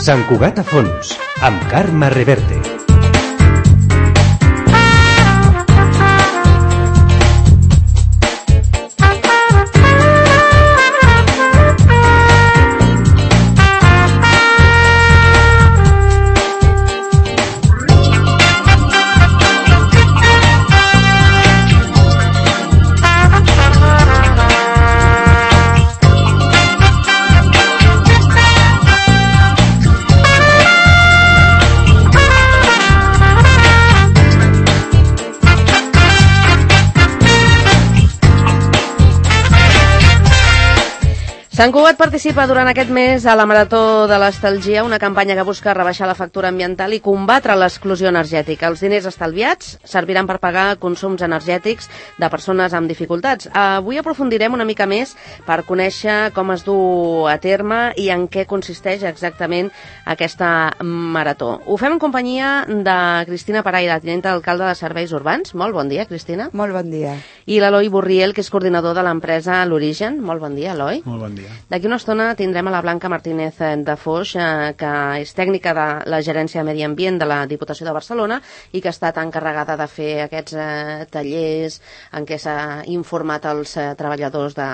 Sant Cugat a fons, amb Carme Reverte. Sant Cugat participa durant aquest mes a la Marató de l'Estalgia, una campanya que busca rebaixar la factura ambiental i combatre l'exclusió energètica. Els diners estalviats serviran per pagar consums energètics de persones amb dificultats. Avui aprofundirem una mica més per conèixer com es du a terme i en què consisteix exactament aquesta marató. Ho fem en companyia de Cristina Paraire, tinenta d'alcalde de Serveis Urbans. Molt bon dia, Cristina. Molt bon dia. I l'Eloi Borriel, que és coordinador de l'empresa L'Origen. Molt bon dia, Eloi. Molt bon dia. D'aquí una estona tindrem a la Blanca Martínez de Foix, que és tècnica de la Gerència de Medi Ambient de la Diputació de Barcelona i que ha estat encarregada de fer aquests tallers en què s'ha informat els treballadors de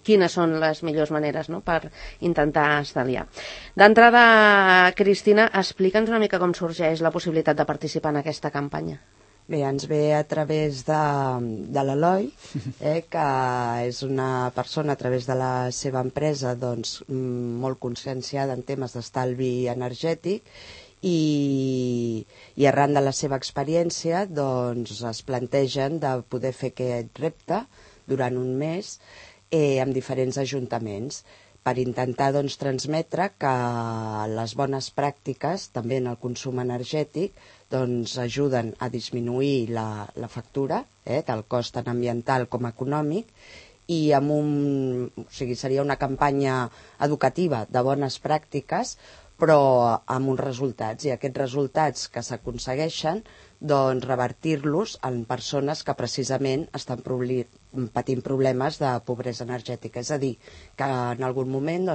quines són les millors maneres, no?, per intentar estalviar. D'entrada, Cristina, explica'ns una mica com sorgeix la possibilitat de participar en aquesta campanya. Bé, ens ve a través de l'Eloi, que és una persona a través de la seva empresa molt conscienciada en temes d'estalvi energètic i arran de la seva experiència es plantegen de poder fer aquest repte durant un mes amb diferents ajuntaments per intentar transmetre que les bones pràctiques, també en el consum energètic, ajuden a disminuir la factura, del cost tant ambiental com econòmic, i seria una campanya educativa de bones pràctiques, però amb uns resultats, i aquests resultats que s'aconsegueixen, revertir-los en persones que precisament estan patint problemes de pobresa energètica. És a dir, que en algun moment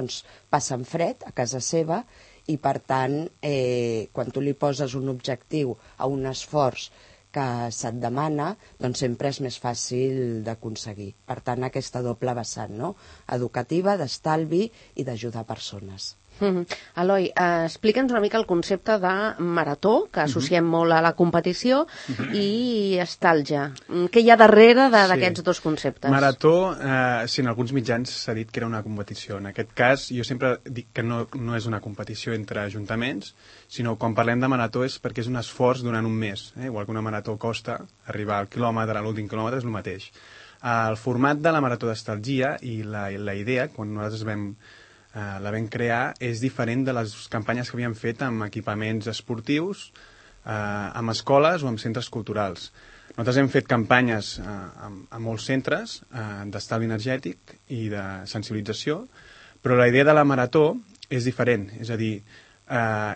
passen fred a casa seva i, per tant, quan tu li poses un objectiu a un esforç que se't demana, sempre és més fàcil d'aconseguir. Per tant, aquesta doble vessant, no?, educativa, d'estalvi i d'ajudar persones. Eloi, explica'ns una mica el concepte de marató, que associem molt a la competició, i estalgia. Què hi ha darrere d'aquests dos conceptes? Marató, en alguns mitjans s'ha dit que era una competició. En aquest cas, jo sempre dic que no és una competició entre ajuntaments, sinó quan parlem de marató és perquè és un esforç durant un mes. Igual que una marató costa, arribar al quilòmetre, a l'últim quilòmetre, és el mateix. El format de la marató d'estalgia i la idea, quan nosaltres la vam crear, és diferent de les campanyes que havíem fet amb equipaments esportius, amb escoles o amb centres culturals. Nosaltres hem fet campanyes a molts centres d'estalvi energètic i de sensibilització, però la idea de la marató és diferent, és a dir,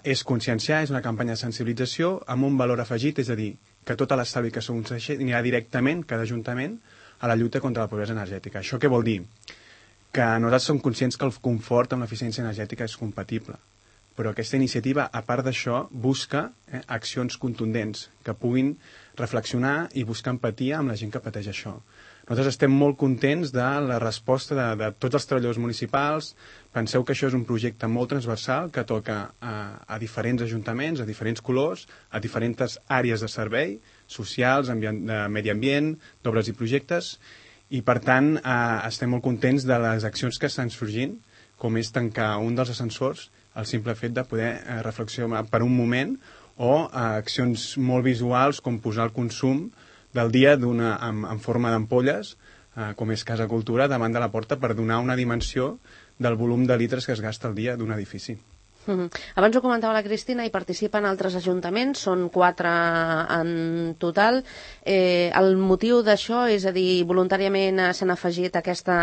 és conscienciar, és una campanya de sensibilització amb un valor afegit, és a dir, que tota l'estalvi que s'aconsegueixi anirà directament, cada ajuntament, a la lluita contra la pobresa energètica. Això què vol dir? Que nosaltres som conscients que el confort amb l'eficiència energètica és compatible, però aquesta iniciativa, a part d'això, busca accions contundents que puguin reflexionar i buscar empatia amb la gent que pateix això. Nosaltres estem molt contents de la resposta de tots els treballadors municipals. Penseu que això és un projecte molt transversal que toca a diferents ajuntaments, a diferents colors, a diferents àrees de servei, socials, de medi ambient, d'obres i projectes, i, per tant, estem molt contents de les accions que estan sorgint, com és tancar un dels ascensors, el simple fet de poder reflexionar per un moment, o accions molt visuals, com posar el consum del dia en forma d'ampolles, com és Casa Cultura, davant de la porta per donar una dimensió del volum de litres que es gasta al dia d'un edifici. Abans ho comentava la Cristina, hi participen altres ajuntaments, són 4 en total. El motiu d'això, és a dir, voluntàriament s'han afegit a aquesta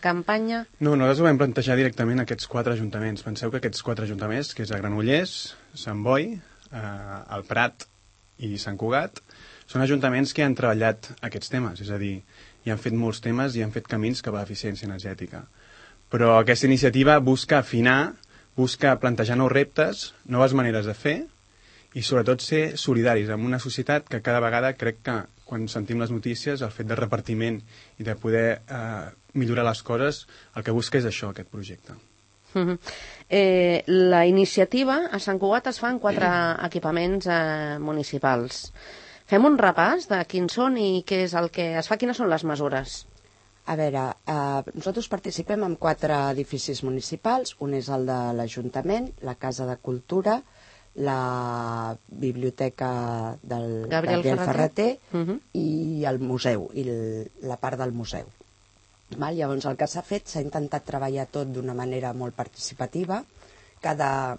campanya? No, nosaltres ho vam plantejar directament a aquests 4 ajuntaments. Penseu que aquests 4 ajuntaments, que és a Granollers, Sant Boi, el Prat i Sant Cugat, són ajuntaments que han treballat aquests temes, és a dir, i han fet molts temes i han fet camins cap a l'eficiència energètica. Però aquesta iniciativa busca afinar, busca plantejar nous reptes, noves maneres de fer i sobretot ser solidaris amb una societat que cada vegada crec que quan sentim les notícies el fet de repartiment i de poder millorar les coses, el que busca és això, aquest projecte. La iniciativa a Sant Cugat es fa en 4 equipaments municipals. Fem un repàs de quins són i què és el que es fa, quines són les mesures. A veure, nosaltres participem en 4 edificis municipals. Un és el de l'Ajuntament, la Casa de Cultura, la Biblioteca del Gabriel Ferrater i el museu, i la part del museu. Llavors, el que s'ha fet, s'ha intentat treballar tot d'una manera molt participativa. Cada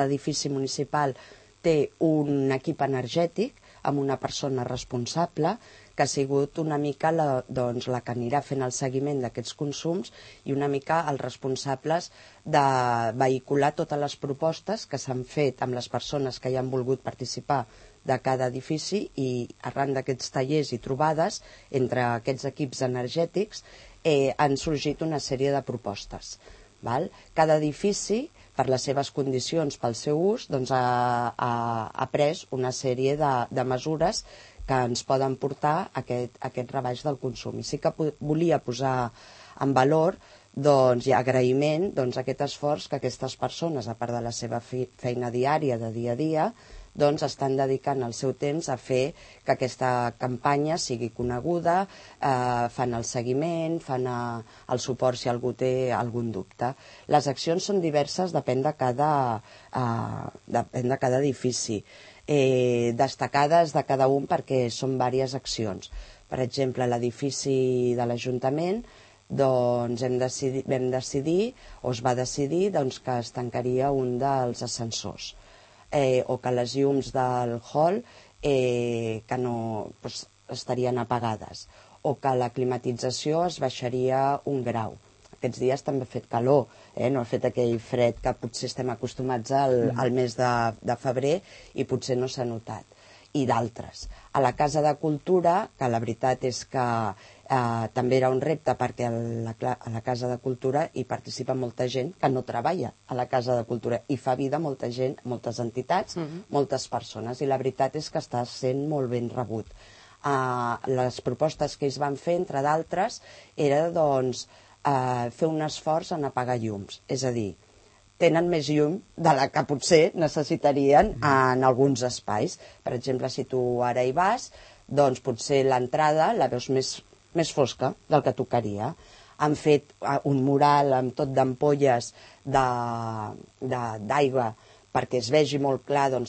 edifici municipal té un equip energètic amb una persona responsable que ha sigut una mica la que anirà fent el seguiment d'aquests consums i una mica els responsables de vehicular totes les propostes que s'han fet amb les persones que hi han volgut participar de cada edifici, i arran d'aquests tallers i trobades entre aquests equips energètics han sorgit una sèrie de propostes. Cada edifici, per les seves condicions, pel seu ús, ha pres una sèrie de mesures que ens poden portar a aquest rebaix del consum. I sí que volia posar en valor i agraïment a aquest esforç que aquestes persones, a part de la seva feina diària, de dia a dia, estan dedicant el seu temps a fer que aquesta campanya sigui coneguda, fan el seguiment, fan el suport si algú té algun dubte. Les accions són diverses, depèn de cada edifici. Destacades de cada un perquè són diverses accions. Per exemple, l'edifici de l'Ajuntament vam decidir, o es va decidir, que es tancaria un dels ascensors, o que les llums del hall estarien apagades, o que la climatització es baixaria 1 grau. Aquests dies també ha fet calor, no ha fet aquell fred que potser estem acostumats al mes de febrer i potser no s'ha notat. I d'altres. A la Casa de Cultura, que la veritat és que també era un repte perquè a la Casa de Cultura hi participa molta gent que no treballa a la Casa de Cultura i fa vida molta gent, moltes entitats, moltes persones, i la veritat és que està sent molt ben rebut. Les propostes que ells van fer, entre d'altres, era fer un esforç en apagar llums, és a dir, tenen més llum de la que potser necessitarien en alguns espais. Per exemple, si tu ara hi vas, doncs potser l'entrada la veus més fosca del que tocaria. Han fet un mural amb tot d'ampolles d'aigua perquè es vegi molt clar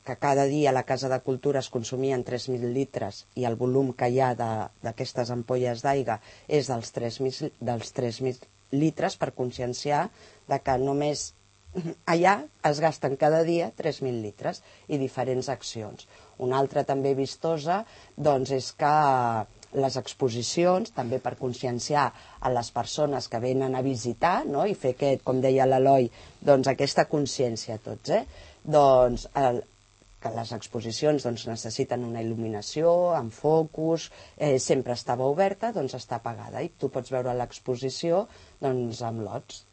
que cada dia a la Casa de Cultura es consumien 3.000 litres i el volum que hi ha d'aquestes ampolles d'aigua és dels 3.000 litres, per conscienciar que només allà es gasten cada dia 3.000 litres i diferents accions. Una altra també vistosa és que les exposicions, també per conscienciar a les persones que venen a visitar, i fer com deia l'Eloi, aquesta consciència a tots, que les exposicions necessiten una il·luminació, amb focus, sempre estava oberta, està apagada i tu pots veure l'exposició amb lots.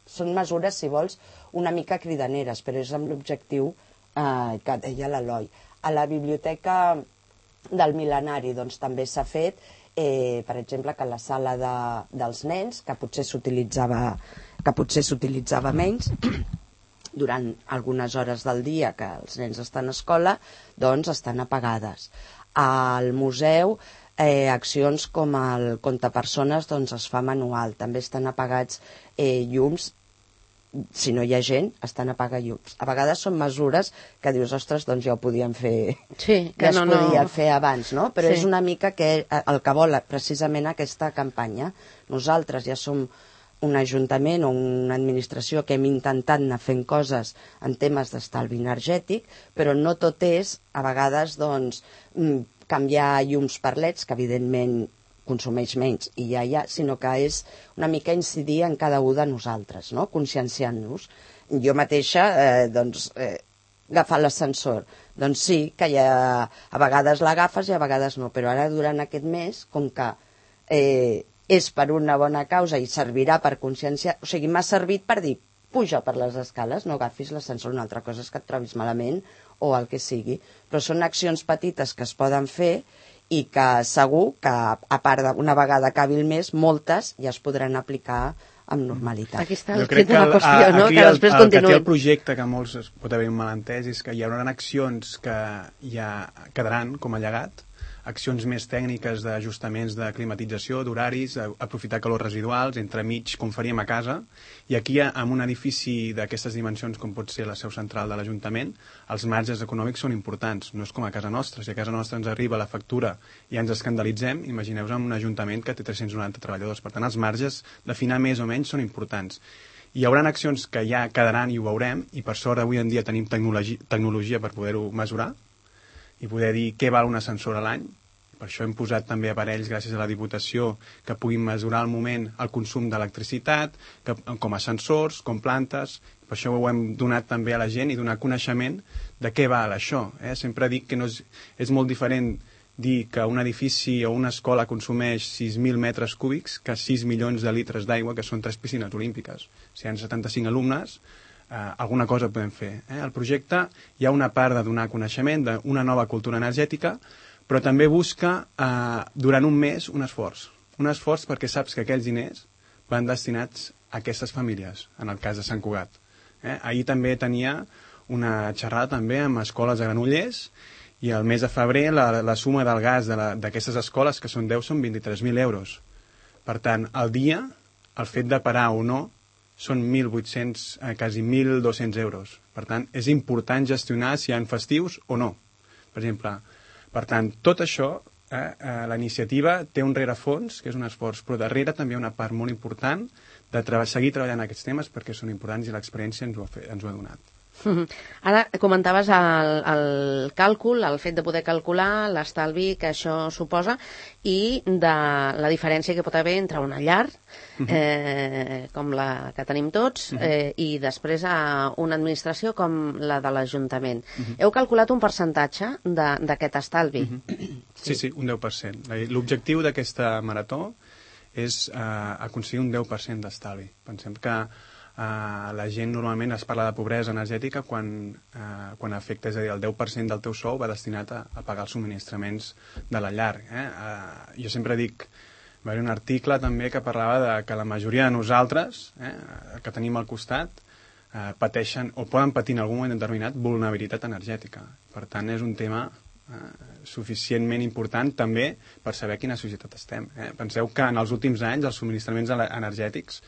Són mesures, si vols, una mica cridaneres, però és amb l'objectiu que deia l'Eloi. A la Biblioteca del Mil·lenari també s'ha fet, per exemple, que la sala dels nens, que potser s'utilitzava menys, durant algunes hores del dia que els nens estan a escola, estan apagades. Al museu, accions com el comptapersones es fa manual, també estan apagats llums. Si no hi ha gent, estan apagant llums. A vegades són mesures que dius, ostres, ja ho podíem fer, ja es podia fer abans, no? Però és una mica el que vol precisament aquesta campanya. Nosaltres ja som un ajuntament o una administració que hem intentat anar fent coses en temes d'estalvi energètic, però no tot és, a vegades, canviar llums per leds, que evidentment consumeix menys i ja, sinó que és una mica incidir en cada un de nosaltres, conscienciant-nos. Jo mateixa, agafar l'ascensor. Doncs sí, que a vegades l'agafes i a vegades no, però ara durant aquest mes, com que és per una bona causa i servirà per consciència, o sigui, m'ha servit per dir, puja per les escales, no agafis l'ascensor, una altra cosa és que et trobis malament o el que sigui. Però són accions petites que es poden fer i que segur que, a part d'una vegada acabi el mes, moltes ja es podran aplicar amb normalitat. Aquí està Jo crec que la qüestió, no? Que després el que continuï. té el projecte, que molts es pot haver un malentès, és que hi haurà accions que ja quedaran com a llegat, accions més tècniques d'ajustaments de climatització, d'horaris, aprofitar calors residuals, entremig, com faríem a casa, i aquí, en un edifici d'aquestes dimensions, com pot ser la seu central de l'Ajuntament, els marges econòmics són importants, no és com a casa nostra. Si a casa nostra ens arriba la factura i ens escandalitzem, imagineu-vos en un ajuntament que té 390 treballadors. Per tant, els marges d'afinar més o menys són importants. Hi haurà accions que ja quedaran i ho veurem, i per sort avui en dia tenim tecnologia per poder-ho mesurar, i poder dir què val un ascensor a l'any. Per això hem posat també aparells, gràcies a la Diputació, que puguin mesurar al moment el consum d'electricitat, com ascensors, com plantes. Per això ho hem donat també a la gent i donar coneixement de què val això. Sempre dic que no és molt diferent dir que un edifici o una escola consumeix 6.000 metres cúbics que 6 milions de litres d'aigua, que són 3 piscines olímpiques. Si hi ha 75 alumnes, alguna cosa podem fer. El projecte hi ha una part de donar coneixement d'una nova cultura energètica, però també busca durant un mes un esforç perquè saps que aquells diners van destinats a aquestes famílies, en el cas de Sant Cugat. Ahir també tenia una xerrada també amb escoles a Granollers, i el mes de febrer la suma del gas d'aquestes escoles, que són 10, són 23.000 euros. Per tant, al dia, el fet de parar o no, són 1.800, quasi 1.200 euros. Per tant, és important gestionar si hi ha festius o no. Per exemple, per tant, tot això, la iniciativa té un rerefons, que és un esforç, però darrere també hi ha una part molt important de seguir treballant aquests temes perquè són importants i l'experiència ens ho ha donat. Ara comentaves el càlcul, el fet de poder calcular l'estalvi que això suposa i de la diferència que pot haver entre una llar, com la que tenim tots, i després una administració com la de l'Ajuntament. Heu calculat un percentatge d'aquest estalvi? Sí, un 10%. L'objectiu d'aquesta marató és aconseguir un 10% d'estalvi. Pensem que la gent normalment es parla de pobresa energètica quan afecta, és a dir, el 10% del teu sou va destinat a pagar els subministraments de la llar. Jo sempre dic, va haver un article també que parlava de que la majoria de nosaltres, que tenim al costat, pateixen o poden patir en algun moment determinat vulnerabilitat energètica. Per tant, és un tema suficientment important també per saber quina societat estem. Penseu que en els últims anys els subministraments energètics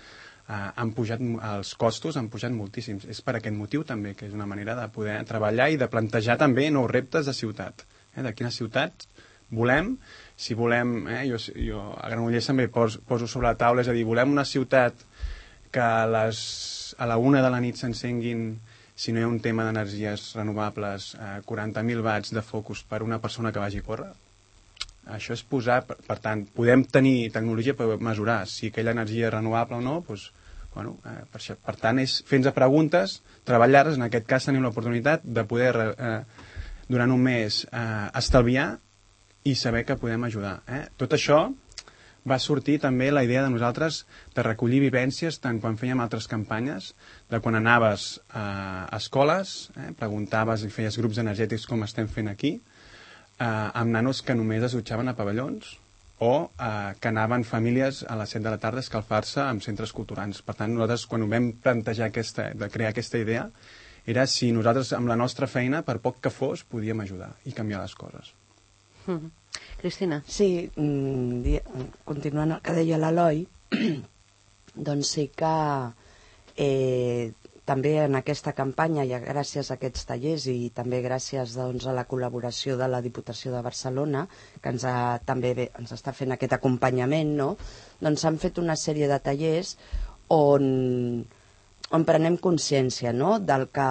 els costos han pujat moltíssims. És per aquest motiu també, que és una manera de poder treballar i de plantejar també nous reptes de ciutat. De quina ciutat volem, si volem, jo a Granollers també poso sobre la taula, és a dir, volem una ciutat que a la 1 de la nit s'encenguin, si no hi ha un tema d'energies renovables, 40.000 watts de focus per una persona que vagi a córrer. Això és posar, per tant, podem tenir tecnologia per mesurar si aquella energia és renovable o no, doncs, per tant, és fer-nos preguntes, treballar-les, en aquest cas tenim l'oportunitat de poder, durant un mes, estalviar i saber que podem ajudar. Tot això va sortir també la idea de nosaltres de recollir vivències, tant quan fèiem altres campanyes, de quan anaves a escoles, preguntaves i feies grups energètics com estem fent aquí, amb nanos que només es dutxaven a pavellons o que anaven famílies a les 7 de la tarda a escalfar-se en centres culturals. Per tant, nosaltres, quan ho vam plantejar de crear aquesta idea, era si nosaltres, amb la nostra feina, per poc que fos, podíem ajudar i canviar les coses. Cristina. Sí, continuant el que deia l'Eloi, doncs sí que també en aquesta campanya, i gràcies a aquests tallers i també gràcies doncs, a la col·laboració de la Diputació de Barcelona, que també ens està fent aquest acompanyament, no? Doncs s'han fet una sèrie de tallers on prenem consciència, no?, del que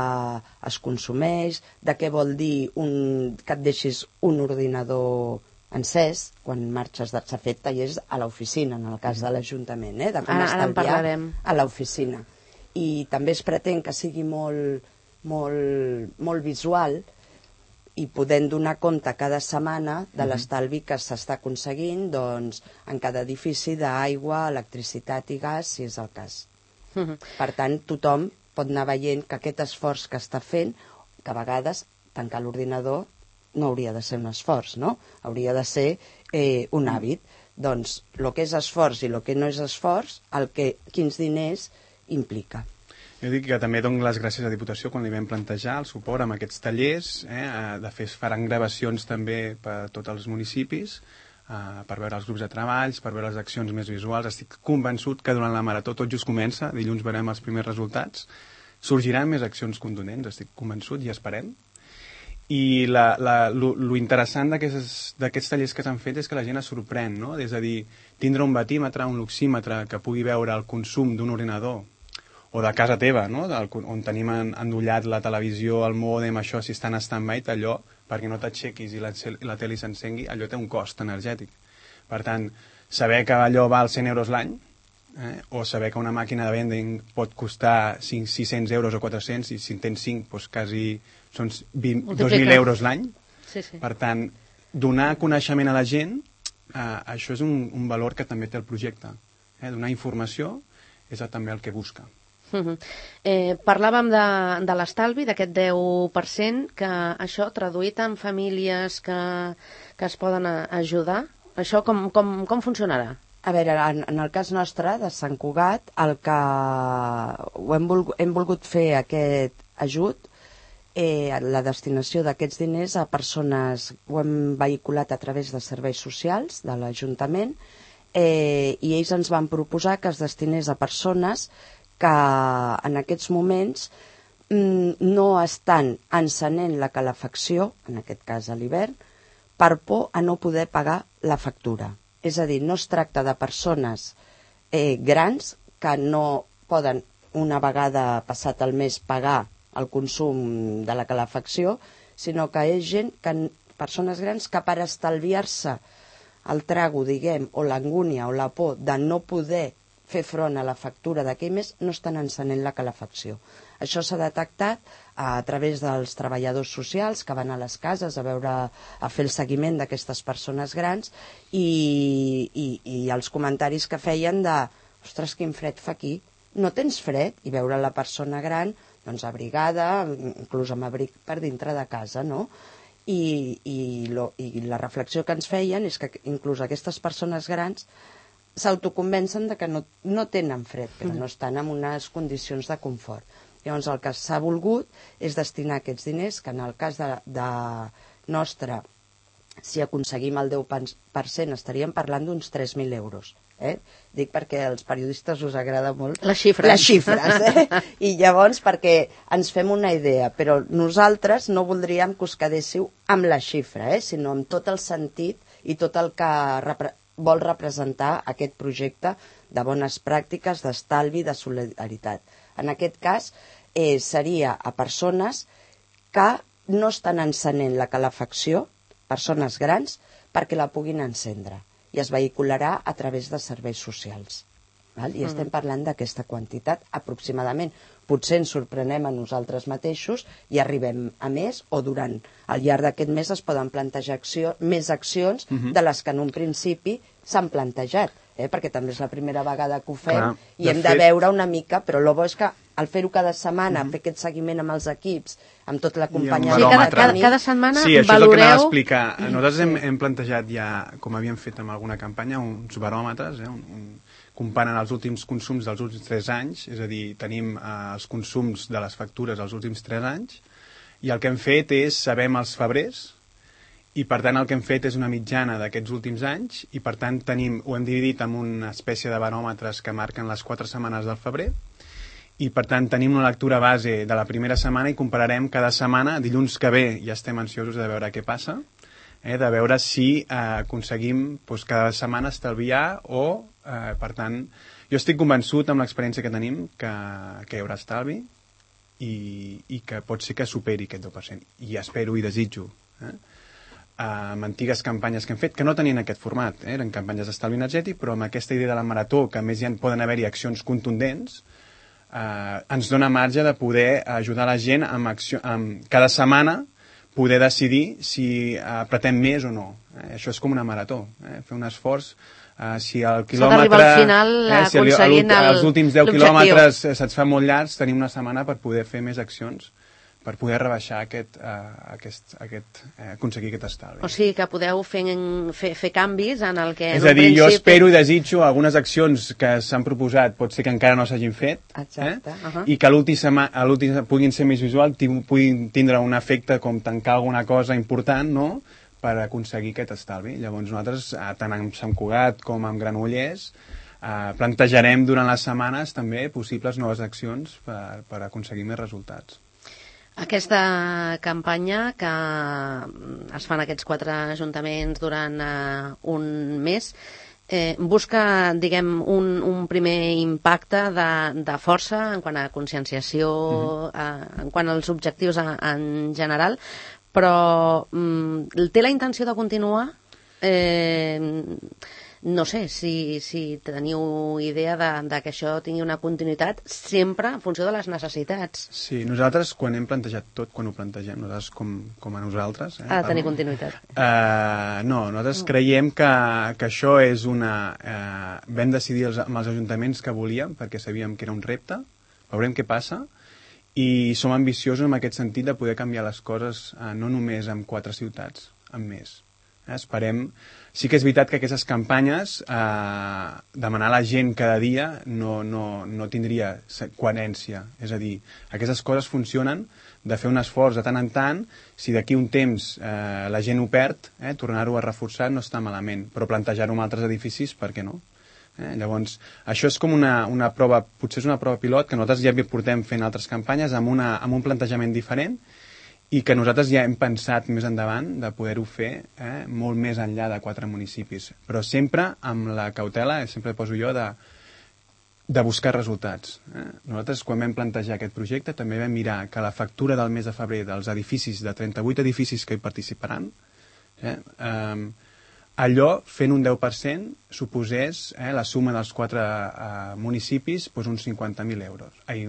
es consumeix, de què vol dir que et deixis un ordinador encès quan marxes s'ha fet tallers a l'oficina, en el cas de l'Ajuntament, de com estalviar a l'oficina. I també es pretén que sigui molt molt visual i podent donar compte cada setmana de l'estalvi que s'està aconseguint doncs, en cada edifici d'aigua, electricitat i gas, si és el cas. Per tant, tothom pot anar veient que aquest esforç que està fent, que a vegades tancar l'ordinador no hauria de ser un esforç, no? Hauria de ser un hàbit. Doncs el que és esforç i el que no és esforç, quins diners implica. Jo dic que també dono les gràcies a la Diputació quan li vam plantejar el suport amb aquests tallers, de fer faran gravacions també per tots els municipis, per veure els grups de treballs, per veure les accions més visuals. Estic convençut que durant la marató tot just comença, dilluns veurem els primers resultats, sorgiran més accions contundents, estic convençut, i esperem. I lo interessant d'aquests tallers que s'han fet és que la gent es sorprèn, no? És a dir, tindre un batímetre, un luxímetre que pugui veure el consum d'un ordinador o de casa teva, no? On tenim endollat la televisió, el mòdem, això, si està en stand-by, allò, perquè no t'aixequis i la tele s'encengui, allò té un cost energètic. Per tant, saber que allò val 100 euros l'any, o saber que una màquina de vending pot costar 600 euros o 400, i si en tens 5, doncs quasi són 2.000 euros l'any. Sí, sí. Per tant, donar coneixement a la gent, això és un valor que també té el projecte. Donar informació és també el que busca. Parlàvem de l'estalvi, d'aquest 10%, que això traduït en famílies que es poden ajudar, això com funcionarà? A veure, en el cas nostre, de Sant Cugat, el que hem volgut fer aquest ajut, la destinació d'aquests diners a persones, ho hem vehiculat a través de serveis socials de l'Ajuntament, i ells ens van proposar que es destinés a persones que en aquests moments no estan encenent la calefacció, en aquest cas a l'hivern, per por a no poder pagar la factura. És a dir, no es tracta de persones grans que no poden, una vegada passat el mes, pagar el consum de la calefacció, sinó que és gent, persones grans que per estalviar-se el trago, diguem, o l'angúnia o la por de no poder fer front a la factura d'aquell mes, no estan encenent la calefacció. Això s'ha detectat a través dels treballadors socials que van a les cases a fer el seguiment d'aquestes persones grans i els comentaris que feien de ostres, quin fred fa aquí, no tens fred? I veure la persona gran doncs abrigada, inclús amb abric per dintre de casa, no? I la reflexió que ens feien és que inclús aquestes persones grans s'autoconvencen de que no tenen fred, però no estan en unes condicions de confort. Llavors el que s'ha volgut és destinar aquests diners, que en el cas de nostre, si aconseguim el 10% estaríem parlant d'uns 3.000 euros. Dic perquè als periodistes us agrada molt les xifres, i llavors perquè ens fem una idea, però nosaltres no voldríem que us quedéssiu amb la xifra, sinó amb tot el sentit i tot el que vol representar aquest projecte de bones pràctiques, d'estalvi, de solidaritat. En aquest cas seria a persones que no estan encenent la calefacció, persones grans, perquè la puguin encendre, i es vehicularà a través de serveis socials. I estem parlant d'aquesta quantitat aproximadament. Potser ens sorprenem a nosaltres mateixos i arribem a més, o al llarg d'aquest mes es poden plantejar més accions de les que en un principi s'han plantejat, perquè també és la primera vegada que ho fem i hem de veure una mica, però el bo és que al fer-ho cada setmana, fer aquest seguiment amb els equips, amb tot l'acompanyament... Cada setmana valoreu... Sí, això és el que anava a explicar. Nosaltres hem plantejat ja, com havíem fet amb alguna campanya, uns baròmetres, comparant els últims consums dels últims 3 anys, és a dir, tenim els consums de les factures dels últims 3 anys, i el que hem fet és, sabem els febrers, i per tant el que hem fet és una mitjana d'aquests últims anys, i per tant ho hem dividit en una espècie de baròmetres que marquen les 4 setmanes del febrer, i per tant tenim una lectura base de la primera setmana i compararem cada setmana, dilluns que ve ja estem ansiosos de veure què passa, de veure si aconseguim cada setmana estalviar o, per tant, jo estic convençut amb l'experiència que tenim que hi haurà estalvi i que pot ser que superi aquest 10%. I espero i desitjo amb antigues campanyes que hem fet, que no tenien aquest format, eren campanyes d'estalvi energètic, però amb aquesta idea de la marató, que a més poden haver-hi accions contundents, ens dona marge de poder ajudar la gent cada setmana poder decidir si apretem més o no. Això és com una marató, fer un esforç. Si el quilòmetre... S'ha d'arribar al final aconseguint els últims 10 quilòmetres se't fa molt llargs, tenim una setmana per poder fer més accions, per poder rebaixar aconseguir aquest estalvi. O sigui que podeu fer canvis en el que... És a dir, jo espero i desitjo algunes accions que s'han proposat, pot ser que encara no s'hagin fet, i que a l'últim puguin ser més visual, puguin tindre un efecte com tancar alguna cosa important, no?, per aconseguir aquest estalvi. Llavors nosaltres, tant amb Sant Cugat com amb Granollers, plantejarem durant les setmanes també possibles noves accions per aconseguir més resultats. Aquesta campanya que es fa en aquests 4 ajuntaments durant un mes busca, diguem, un primer impacte de força en quant a conscienciació, en quant als objectius en general, però té la intenció de continuar? No sé si teniu idea de que això tingui una continuïtat sempre en funció de les necessitats. Sí, nosaltres quan hem plantejat tot, quan ho plantegem, nosaltres com a nosaltres... Ha de tenir continuïtat. No, nosaltres creiem que això és una... Vam decidir amb els ajuntaments que volíem, perquè sabíem que era un repte, veurem què passa, i som ambiciosos en aquest sentit de poder canviar les coses no només en 4 ciutats, en més. Esperem... Sí que és veritat que aquestes campanyes, demanar a la gent cada dia no tindria coherència. És a dir, aquestes coses funcionen de fer un esforç de tant en tant, si d'aquí un temps la gent ho perd, tornar-ho a reforçar no està malament, però plantejar-ho en altres edificis, per què no? Llavors, això és com una prova, potser és una prova pilot que nosaltres ja portem fent altres campanyes amb un plantejament diferent i que nosaltres ja hem pensat més endavant de poder-ho fer molt més enllà de 4 municipis, però sempre amb la cautela, sempre poso jo, de buscar resultats. Nosaltres, quan vam plantejar aquest projecte, també vam mirar que la factura del mes de febrer dels edificis, de 38 edificis que hi participaran, allò, fent un 10%, suposés la suma dels 4 municipis uns 50.000 euros. I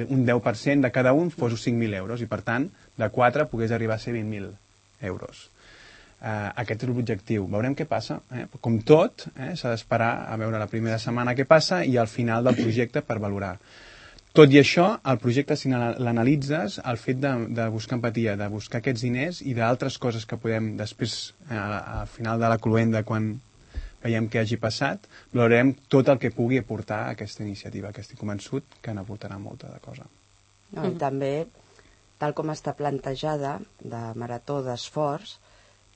un 10% de cada un fos 5.000 euros, i per tant, de 4 pogués arribar a ser 20.000 euros. Aquest és l'objectiu. Veurem què passa. Com tot, s'ha d'esperar a veure la primera setmana què passa i al final del projecte per valorar. Tot i això, el projecte, si l'analitzes, el fet de buscar empatia, de buscar aquests diners i d'altres coses que podem després, al final de la cloenda, quan veiem què hagi passat, valorarem tot el que pugui aportar a aquesta iniciativa, que estic convençut que n'aportarà molta de cosa. No, i també, tal com està plantejada, de marató d'esforç,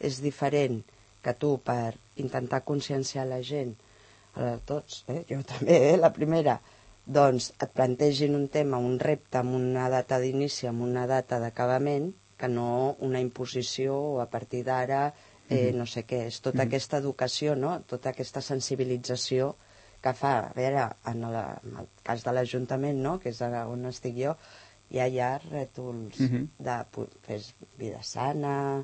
és diferent que tu, per intentar conscienciar la gent, a tots, jo també, la primera, doncs et plantegin un tema, un repte, amb una data d'inici, amb una data d'acabament, que no una imposició o a partir d'ara no sé què. És tota aquesta educació, no? Tota aquesta sensibilització que fa, a veure, en el cas de l'Ajuntament, no?, que és on estic jo, ja hi ha rètols de fer vida sana,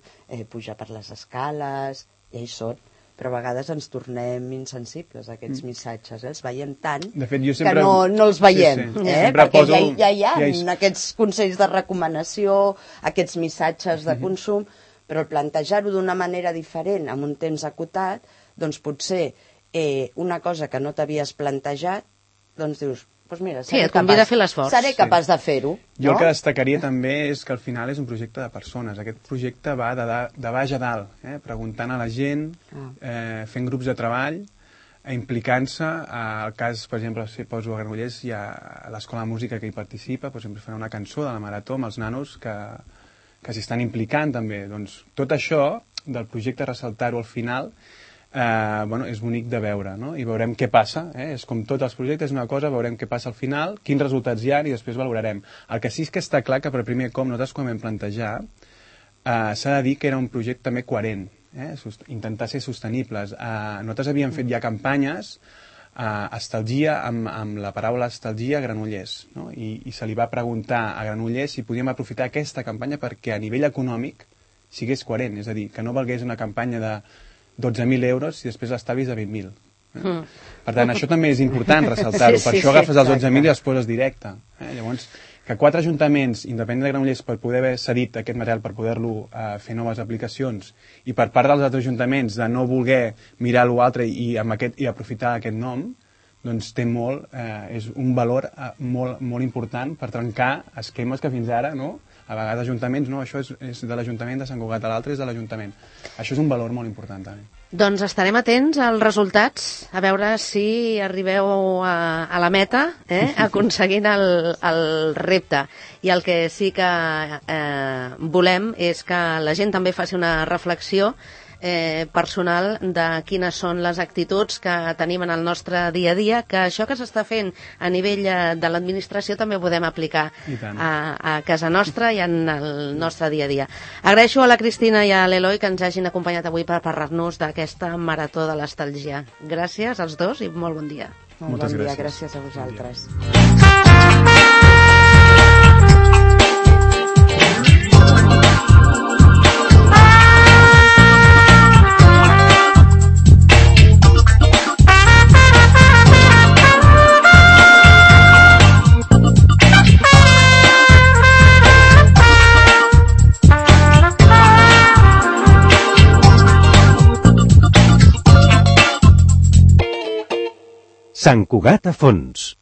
pujar per les escales, ja hi són, però a vegades ens tornem insensibles a aquests missatges, els veiem tant que no els veiem, perquè ja hi ha aquests consells de recomanació, aquests missatges de consum, però plantejar-ho d'una manera diferent, amb un temps acotat, doncs potser una cosa que no t'havies plantejat, doncs dius, doncs mira, seré capaç de fer-ho. Jo el que destacaria també és que al final és un projecte de persones. Aquest projecte va de baix a dalt, preguntant a la gent, fent grups de treball, implicant-se. Al cas, per exemple, si poso a Granollers, hi ha l'Escola de Música que hi participa, per exemple, fan una cançó de la Marató amb els nanos que s'hi estan implicant també. Doncs tot això, del projecte, ressaltar-ho al final, és bonic de veure, no? I veurem què passa, és com tots els projectes, una cosa, veurem què passa al final, quins resultats hi ha i després valorarem. El que sí que està clar que per primer cop nosaltres quan vam plantejar s'ha de dir que era un projecte també coherent, intentar ser sostenibles. Nosaltres havíem fet ja campanyes estalgia, amb la paraula estalgia a Granollers, no? I se li va preguntar a Granollers si podíem aprofitar aquesta campanya perquè a nivell econòmic sigués coherent, és a dir, que no valgués una campanya de 12.000 euros si després l'estalvi és de 20.000. Per tant, això també és important ressaltar-ho. Per això agafes els 11.000 i els poses directe. Llavors, que 4 ajuntaments, independent de Granollers, per poder haver cedit aquest material, per poder-lo fer noves aplicacions, i per part dels altres ajuntaments de no voler mirar l'altre i aprofitar aquest nom, doncs té és un valor molt important per trencar esquemes que fins ara, no? A vegades ajuntaments, no, això és de l'Ajuntament de Sant Cugat, l'altre és de l'Ajuntament. Això és un valor molt important també. Doncs estarem atents als resultats, a veure si arribeu a la meta, aconseguint el repte. I el que sí que volem és que la gent també faci una reflexió personal de quines són les actituds que tenim en el nostre dia a dia, que això que s'està fent a nivell de l'administració també ho podem aplicar a casa nostra i en el nostre dia a dia. Agraeixo a la Cristina i a l'Eloi que ens hagin acompanyat avui per parlar-nos d'aquesta marató de l'estalgia. Gràcies als dos i molt bon dia. Molt bon dia, gràcies a vosaltres. Sant Cugat a fons.